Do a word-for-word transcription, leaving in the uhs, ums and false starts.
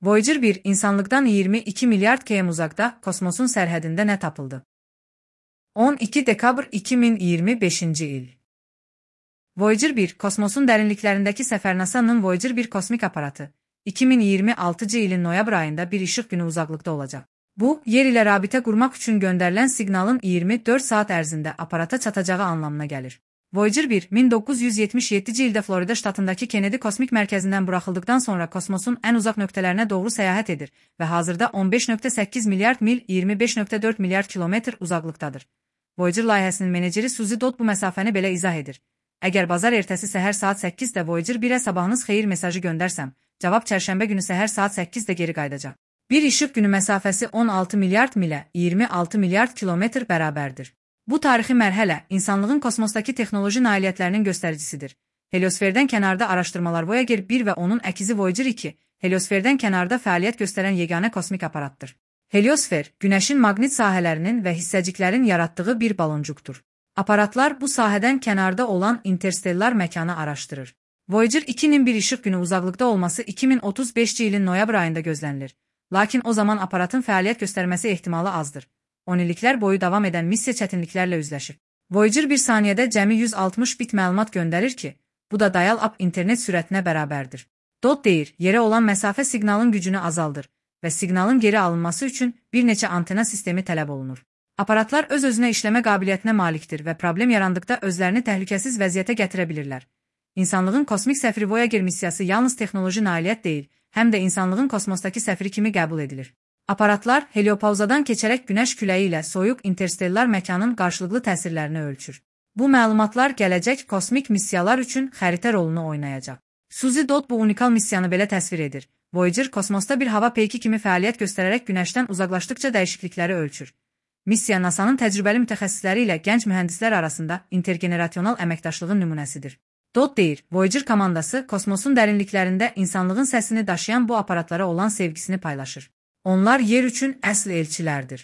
Voyager bir insanlıkdan iyirmi iki milyar kilometre uzakta kosmosun sərhədində nə tapıldı? on iki dekabr iki min iyirmi beşinci il. Voyager bir kosmosun dərinliklərindəki səfər NASA'nın Voyager bir kosmik aparatı iki min iyirmi altıncı ilin noyabr ayında bir işıq günü uzaqlıqda olacaq. Bu, yer ilə rabitə qurmaq üçün göndərilən siqnalın iyirmi dörd saat ərzində aparata çatacağı anlamına gəlir. Voyager bir min doqquz yüz yetmiş yeddinci ildə Florida ştatındakı Kennedy kosmik mərkəzindən buraxıldıqdan sonra kosmosun ən uzaq nöqtələrinə doğru səyahət edir və hazırda on beş nöqtə səkkiz milyard mil iyirmi beş nöqtə dörd milyard kilometr uzaqlıqdadır. Voyager layihəsinin meneceri Suzy Dodd bu məsafəni belə izah edir. Əgər bazar ertəsi səhər saat səkkizdə Voyager birə sabahınız xeyir mesajı göndərsəm, cavab çərşənbə günü səhər saat səkkizdə geri qayıdacaq. Bir işıq günü məsafəsi on altı milyard milə iyirmi altı milyard kilometr bərabərdir. Bu tarixi mərhələ insanlığın kosmosdakı texnoloji nailiyyətlərinin göstəricisidir. Heliosferdən kənarda araşdırmalar Voyager bir və onun əkizi Voyager iki, heliosferdən kənarda fəaliyyət göstərən yeganə kosmik aparatdır. Heliosfer, Günəşin maqnit sahələrinin və hissəciklərin yaratdığı bir baloncuqdur. Aparatlar bu sahədən kənarda olan interstellar məkanı araşdırır. Voyager ikinin bir işıq günü uzaqlıqda olması iki min otuz beşinci ilin noyabr ayında gözlənilir. Lakin o zaman aparatın fəaliyyət göstərməsi ehtimalı azdır. on illiklər boyu davam edən missiya çətinliklərlə üzləşir. Voyager bir saniyədə cəmi yüz altmış bit məlumat göndərir ki, bu da dial-up internet sürətinə bərabərdir. Dodd deyir, yerə olan məsafə siqnalın gücünü azaldır və siqnalın geri alınması üçün bir neçə antena sistemi tələb olunur. Aparatlar öz-özünə işləmə qabiliyyətinə malikdir və problem yarandıqda özlərini təhlükəsiz vəziyyətə gətirə bilirlər. İnsanlığın kosmik səfiri Voyager missiyası yalnız texnoloji nailiyyət deyil, həm də insanlığın kosmosdakı səfiri kimi qəbul edilir. Aparatlar heliopauzadan keçərək Günəş küləyi ilə soyuq interstellar məkanın qarşılıqlı təsirlərini ölçür. Bu məlumatlar gələcək kosmik missiyalar üçün xəritə rolunu oynayacaq. Suzy Dodd bu unikal missiyanı belə təsvir edir. Voyager kosmosda bir hava peyki kimi fəaliyyət göstərərək Günəşdən uzaqlaşdıqca dəyişiklikləri ölçür. Missiya NASA'nın təcrübəli mütəxəssisləri ilə gənc mühəndislər arasında intergenerasional əməkdaşlığın nümunəsidir. Dodd deyir, Voyager komandası kosmosun dərinliklərində insanlığın səsini daşıyan bu aparatlara olan sevgisini paylaşır. Onlar yer üçün əsl elçilərdir.